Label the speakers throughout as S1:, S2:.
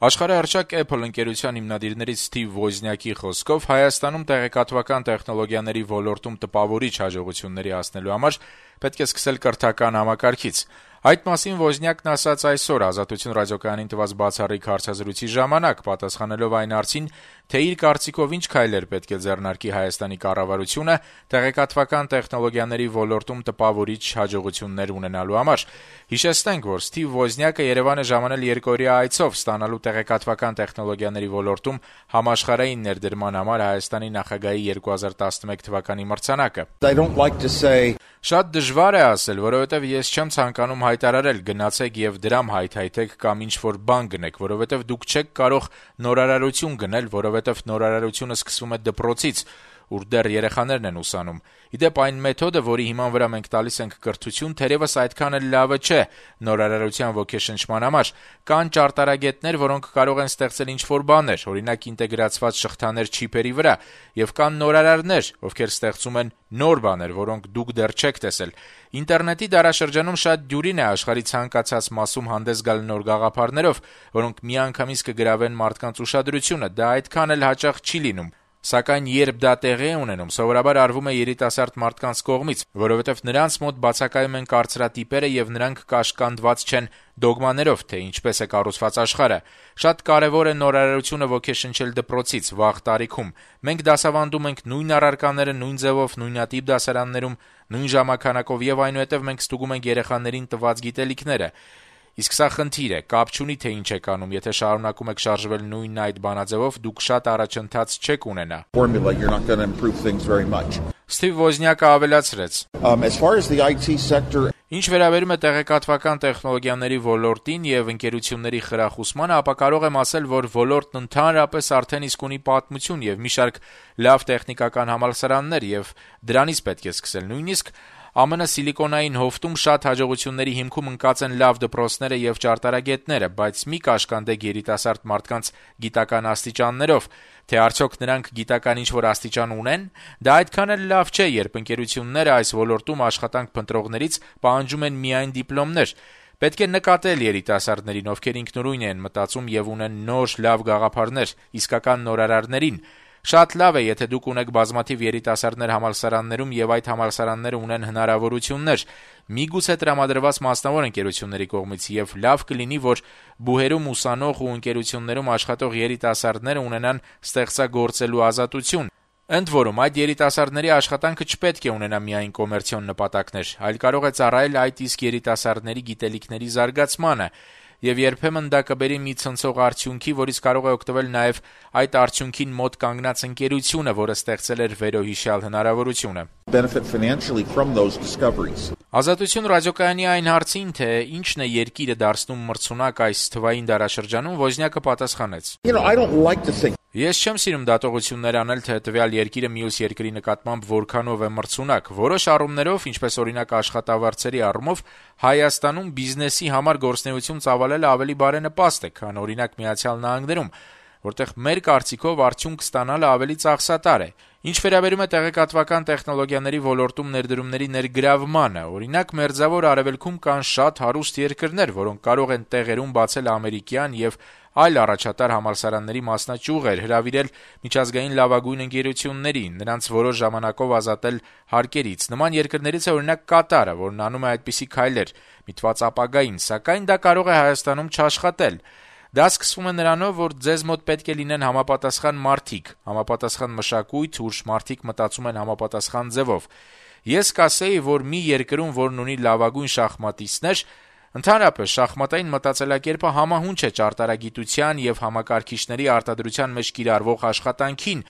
S1: Աշխարհահռչակ Apple ընկերության հիմնադիրներից Սթիվ Ոզնյակի խոսքով Հայաստանում տեղեկատվական տեխնոլոգիաների ոլորտում տպավորիչ հաջողությունների հասնելու համար պետք է սկսել կրթական համակարգից։ Այդ մասին Ոզնյակն ասաց այսօր Ազատություն ռադիոկայանին տված բացառիկ հարցազրույցի ժամանակ, պատասխանելով այն հարցին, թե իր կարծիքով ինչ քայլեր պետք է ձեռնարկի Հայաստանի կառավարությունը տեղեկատվական տեխնոլոգիաների ոլորտում տպավորիչ հաջողություններ ունենալու համար։ Հիշեցնենք, որ Սթիվ Ոզնյակը Երևան է ժամանել երկօրյա այցով ստանալու տեղեկատվական տեխնոլոգիաների ոլորտում համաշխարհային ներդրման համար Հայաստանի նախագահի 2011 թվականի մրցանակը։ Շատ դժվար է ասել, որովհետև ես չեմ ցանկանում հայտարարել գնացեք եւ դրամ հայթայթեք կամ ինչ-որ բան գնեք, որովհետև դուք չեք կարող նորարարություն գնել, որովհետև նորարարությունը սկսվում է դպրոցից, ուր դեռ երեխաներն են ուսանում։ Իդեպ այն մեթոդը, որի հիման վրա մենք տալիս ենք կրթություն, թերևս այդքան էլ լավը չէ նորարարության ոգեշնչման համար։ Կան ճարտարագետներ, որոնք կարող են ստեղծել ինչ-որ բաներ, օրինակ ինտեգրացված շղթաներ չիպերի վրա, եւ կան նորարարներ, ովքեր ստեղծում են նոր բաներ, որոնք դուք դեռ չեք տեսել։ Ինտերնետի դարաշրջանում շատ դյուրին է աշխարհի ցանկացած մասում հանդես գալ նոր գաղափարներով, որոնք միանգամից կգրավեն մարդկանց ուշադրությունը, դա այդքան էլ հաճախ չի լինում։ Սակայն երբ դա տեղի է ունենում, սովորաբար արվում է երիտասարդ մարդկանց կողմից, որովհետև նրանց մոտ բացակայում են կարծրատիպերը եւ նրանք կաշկանդված չեն դոգմաներով, թե ինչպես է կառուցված աշխարհը։ Շատ կարեւոր է նորարարությունը ոգեշնչել դպրոցից, վաղ տարիքում։ Մենք դասավանդում ենք նույն առարկաները նույն ձևով, նույնատիպ դասարաններում, նույն ժամանականակով եւ այնուհետեւ մենք ստուգում ենք երեխաներին տված գիտելիքները։ Իսկ սա խնդիր է, կապ չունի թե ինչ եք անում, եթե շարունակում եք շարժվել նույն այդ բանաձևով, դուք շատ առաջընթաց չեք ունենա։ Սթիվ Ոզնյակը ավելացրեց. Ինչ վերաբերում է տեղեկատվական տեխնոլոգիաների ոլորտին եւ ընկերությունների խրախուսմանը, ապա կարող եմ ասել, որ ոլորտն ընդհանրապես արդեն իսկ ունի պատմություն եւ մի շարք լավ տեխնիկական համալսարաններ եւ դրանից պետք է սկսել։ Նույնիսկ ԱՄՆ Սիլիկոնային հովտում շատ հաջողությունների հիմքում ընկած են լավ դպրոցները եւ ճարտարագետները, բայց մի կաշկանդեք երիտասարդ մարդկանց գիտական աստիճաններով, թե արդյոք նրանք գիտական ինչ-որ աստիճան ունեն, դա այդքան էլ լավ չէ, երբ ընկերությունները այս ոլորտում աշխատանք փնտրողներից պահանջում են միայն դիպլոմներ։ Պետք է նկատել երիտասարդներին, ովքեր ինքնուրույն են մտածում եւ ունեն նոր լավ գաղափարներ, իսկական նորարարներին։ Շատ լավ է, եթե դուք ունեք բազմաթիվ երիտասարդներ համալսարաններում եւ այդ համալսարանները ունեն հնարավորություններ, միգուցե տրամադրված մասնավոր ընկերությունների կողմից, եւ լավ կլինի, որ բուհերում ուսանող ու ընկերություններում աշխատող երիտասարդները ունենան ստեղծագործելու ազատություն։ Ընդ որում, այդ երիտասարդների աշխատանքը չպետք է ունենա միայն կոմերցիոն նպատակներ, այլ կարող է ծառայել այդ իսկ երիտասարդների գիտելիքների զարգացմանը, եւ երբեմն դա կբերի մի ցնցող արդյունքի, որից կարող է օգտվել նաեւ այդ արդյունքին մոտ կանգնած ընկերությունը, որը ստեղծել էր վերոհիշյալ հնարավորությունը։ Ազատություն ռադիոկայանի այն հարցին, թե ինչն է երկիրը դարձնում մրցունակ այս թվային դարաշրջանում, Ոզնյակը պատասխանեց. Ես չեմ սիրում դատողություններ անել, թե տվյալ երկիրը մյուս երկրի նկատմամբ որքանով է մրցունակ։ Որոշ առումներով, ինչպես օրինակ աշխատավարձերի առումով, Հայաստանում բիզնեսի համար գործունեություն ծավալելը ավելի բարենպաստ է, քան օրինակ Միացյալ Նահանգներում, որտեղ մեր կարծիքով արդյունք ստանալը ավելի ծախսատար է։ Ինչ վերաբերում է տեղեկատվական տեխնոլոգիաների ոլորտում ներդրումների ներգրավմանը, օրինակ Մերձավոր Արևելքում կան շատ հարուստ երկրներ, որոնք կարող են տեղերում բացել ամերիկյան եւ այլ առաջատար համալսարանների մասնաճյուղեր, հրավիրել միջազգային լավագույն ընկերությունների, նրանց որոշ ժամանակով ազատել հարկերից։ Նման երկրներից է օրինակ Կատարը, որն անում է այդպիսի քայլեր միտված ապագային, սակայն դա կարող է Հայաստանում չաշխատել։ Դա սկսվում է նրանով, որ ձեզ մոտ պետք է լինեն համապատասխան մարդիկ, համապատասխան մշակույթ, ուր մարդիկ մտածում են համապատասխան ձևով։ Ես կասեի, որ մի երկրում, որն ունի լավագույն շախմատիստներ, ընդհանրապես շախմատային մտածելակերպը համահունչ է ճարտարագիտության եւ համակարգիչների արտադրության մեջ կիրառվող աշխատանքին,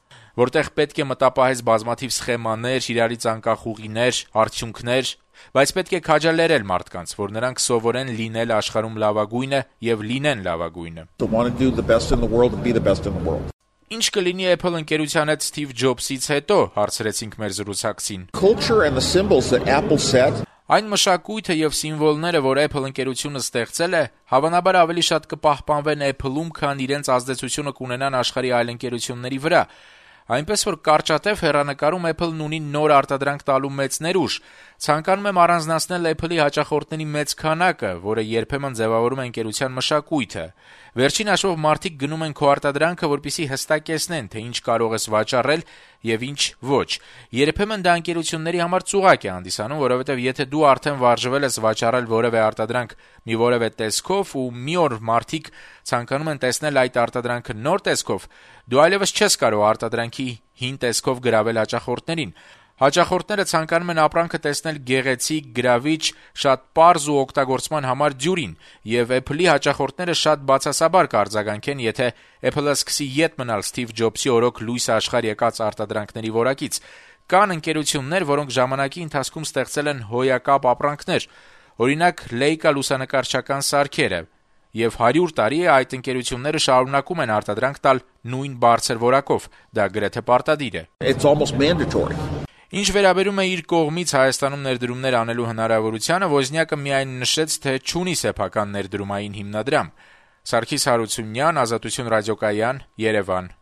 S1: որտեղ պետք է մտապահես բազմաթիվ սխեմաներ, իրարից անկախ ուղիներ, արդյունքներ, բայց պետք է քաջալերել մարդկանց, որ նրանք սովորեն լինել աշխարհում լավագույնը եւ լինեն լավագույնը։ Ինչ կլինի Apple ընկերության հետ Սթիվ Ջոբսից հետո, հարցրեցինք մեր զրուցակցին։ Այն մշակույթը եւ սիմվոլները, որ Apple ընկերությունը ստեղծել է, հավանաբար ավելի շատ կպահպանվեն Apple-ում, քան իրենց ազդեցությունը կունենան աշխարհի այլ ընկերությունների վրա։ Այնպես որ կարճատև հեռանկարում Apple-ն ունի նոր արտադրանք տալու մեծ ներուժ։ Ցանկանում եմ առանձնացնել Apple-ի հաճախորդների մեծ քանակը, որը երբեմն ձևավորում է ընկերության մշակույթը։ Վերջին հաշվով մարդիկ գնում են քո արտադրանքը, որպեսզի հստակեցնեն, թե ինչ կարող ես վաճառել եւ ինչ ոչ։ Երբեմն դա ընկերությունների համար ծուղակ է հանդիսանում, որովհետեւ եթե դու արդեն վարժվել ես վաճառել որևէ արտադրանք մի որևէ տեսքով ու մի օր մարդիկ ցանկանում են տեսնել այդ արտադրանքը նոր տեսքով, դու այլևս չես կարող արտադրանքի հին տեսքով գրավել հաճախորդներին։ Հաճախորդները ցանկանում են ապրանքը տեսնել գեղեցիկ, գրավիչ, շատ պարզ ու օգտագործման համար դյուրին, եւ Apple-ի հաճախորդները շատ բացասաբար կարձագանքեն, եթե Apple-ը սկսի ետ մնալ Սթիվ Ջոբսի օրոք լույս աշխարհ եկած արտադրանքների որակից։ Կան ընկերություններ, որոնք ժամանակի ընթացքում ստեղծել են հոյակապ ապրանքներ, օրինակ Leica լուսանկարչական սարքերը, եւ 100 տարի է այդ ընկերությունները շարունակում են արտադրանք տալ նույն բարձր որակով։ Դա գրեթե պարտադիր է։
S2: It's almost mandatory.
S1: Ինչ վերաբերում է իր կողմից Հայաստանում ներդրումներ անելու հնարավորությանը, Ոզնյակը միայն նշեց, թե չունի սեփական ներդրումային հիմնադրամ։ Սարգիս Հարությունյան, Ազատություն ռադիոկայան, Երևան։